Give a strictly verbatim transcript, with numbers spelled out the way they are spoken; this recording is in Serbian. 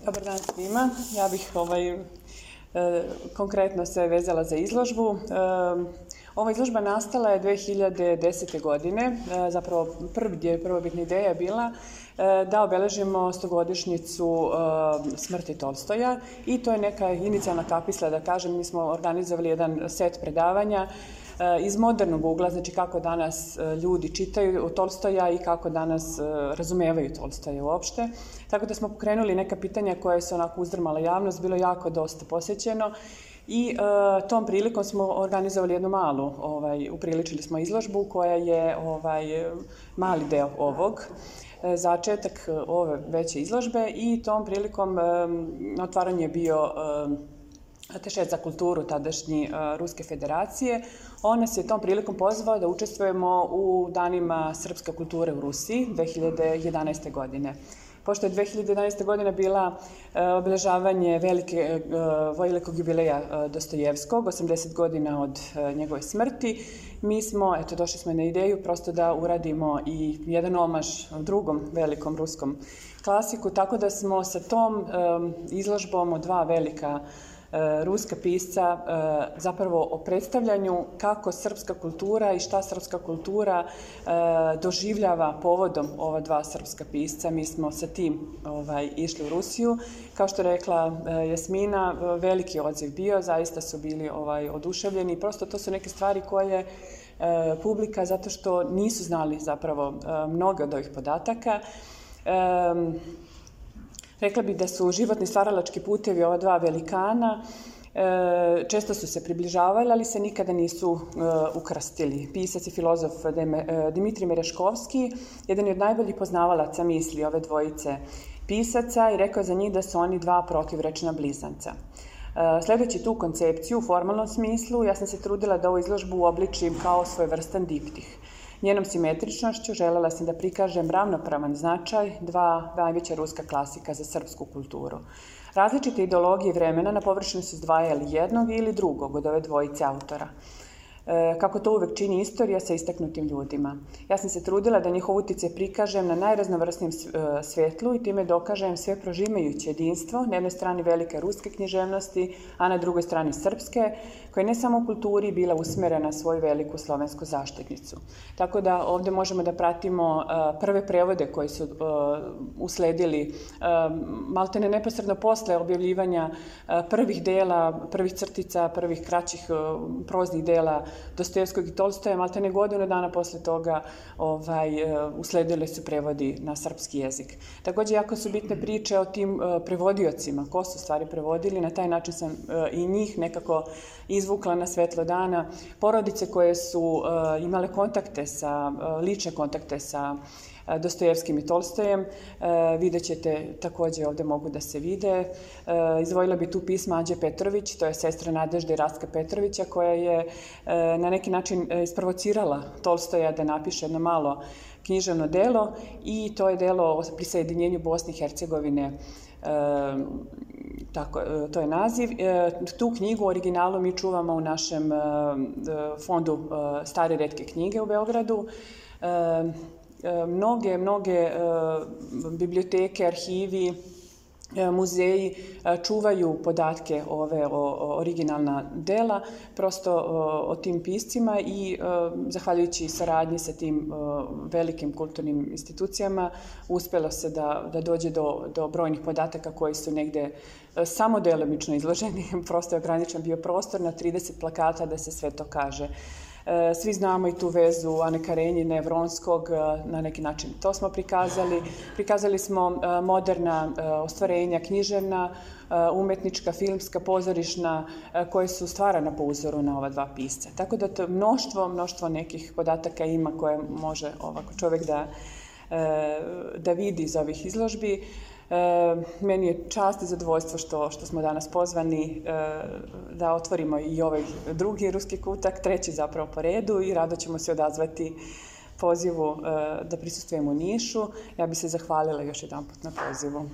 Dobar dan svima. Ja bih ovaj, e, konkretno se vezala za izložbu. E, ova izložba nastala je dve hiljade desete. godine. E, zapravo prvi, prvobitna ideja je bila e, da obeležimo stogodišnjicu e, smrti Tolstoja i to je neka inicijalna kapisla, da kažem. Mi smo organizovali jedan set predavanja iz modernog ugla, znači kako danas ljudi čitaju Tolstoja i kako danas razumevaju Tolstoja uopšte. Tako da smo pokrenuli neka pitanja koje su onako uzdrmala javnost, bilo jako dosta posjećeno i e, tom prilikom smo organizovali jednu malu, ovaj, upriličili smo izložbu koja je ovaj, mali deo ovog, e, začetak ove veće izložbe i tom prilikom e, na otvaranju je bio e, ataše za kulturu tadašnji uh, Ruske federacije. On nas je tom prilikom pozvao da učestvujemo u danima srpske kulture u Rusiji dve hiljade jedanaeste. godine. Pošto je dve hiljade jedanaeste. godina bila uh, obeležavanje velike, uh, velikog jubileja uh, Dostojevskog, osamdeset godina od uh, njegove smrti, mi smo, eto, došli smo na ideju prosto da uradimo i jedan omaž drugom velikom ruskom klasiku, tako da smo sa tom um, izložbom od dva velika ruska pisca zapravo o predstavljanju kako srpska kultura i šta srpska kultura doživljava povodom ova dva srpska pisca. Mi smo sa tim ovaj, išli u Rusiju. Kao što je rekla Jasmina, veliki odziv bio, zaista su bili ovaj, oduševljeni. Prosto to su neke stvari koje publika, zato što nisu znali zapravo mnoge od ovih podataka. Rekla bih da su životni stvaralački putevi ova dva velikana, često su se približavali, ali se nikada nisu ukrstili. Pisac i filozof Dimitrij Mereškovski, jedan je od najboljih poznavalaca misli ove dvojice pisaca i rekao je za njih da su oni dva protivrečna blizanca. Sledeći tu koncepciju u formalnom smislu, ja sam se trudila da ovu izložbu uobličim kao svojevrstan diptih. Njenom simetričnošću želela sam da prikažem ravnopravan značaj dva najveća ruska klasika za srpsku kulturu. Različite ideologije vremena na površini su izdvajali jednog ili drugog od ove dvojice autora. Kako to uvek čini istorija sa istaknutim ljudima. Ja sam se trudila da njihov uticaj prikažem na najraznovrsnijem svetlu i time dokažem sve prožimajuće jedinstvo, na jednoj strani velike ruske književnosti, a na drugoj strani srpske, koja je ne samo u kulturi bila usmerena na svoju veliku slovensku zaštitnicu. Tako da ovde možemo da pratimo prve prevode koji su usledili maltene neposredno posle objavljivanja prvih dela, prvih crtica, prvih kraćih proznih dela Dostojevskog i Tolstoja, maltene godinu dana posle toga ovaj, usledili su prevodi na srpski jezik. Takođe, jako su bitne priče o tim prevodiocima, ko su stvari prevodili, na taj način sam i njih nekako izvukla na svetlo dana. Porodice koje su imale kontakte sa, lične kontakte sa Dostojevskim i Tolstojem, vidjet ćete, takođe ovde mogu da se vide. Izdvojila bi tu pisma Ađe Petrović, to je sestra Nadežde i Rastka Petrovića, koja je na neki način isprovocirala Tolstoja da napiše jedno malo književno delo i to je delo o prisajedinjenju Bosne i Hercegovine. E, tako, to je naziv. E, tu knjigu u originalu mi čuvamo u našem e, fondu e, Stare retke knjige u Beogradu. E, Mnoge, mnoge biblioteke, arhivi, muzeji čuvaju podatke ove originalna dela, prosto o tim piscima i zahvaljujući saradnji sa tim velikim kulturnim institucijama uspelo se da, da dođe do, do brojnih podataka koji su negde samo delimično izloženi, prosto je ograničen bio prostor na trideset plakata da se sve to kaže. Svi znamo i tu vezu Ane Karenjine, Vronskog, na neki način to smo prikazali. Prikazali smo moderna ostvarenja, književna, umetnička, filmska, pozorišna, koje su stvarana po uzoru na ova dva pisca. Tako da to mnoštvo, mnoštvo nekih podataka ima koje može ovako čovek da, da vidi iz ovih izložbi. E, meni je čast i zadovoljstvo što, što smo danas pozvani e, da otvorimo i ovaj drugi ruski kutak, treći zapravo po redu i rado ćemo se odazvati pozivu e, da prisustvujemo u Nišu. Ja bih se zahvalila još jedan put na pozivu.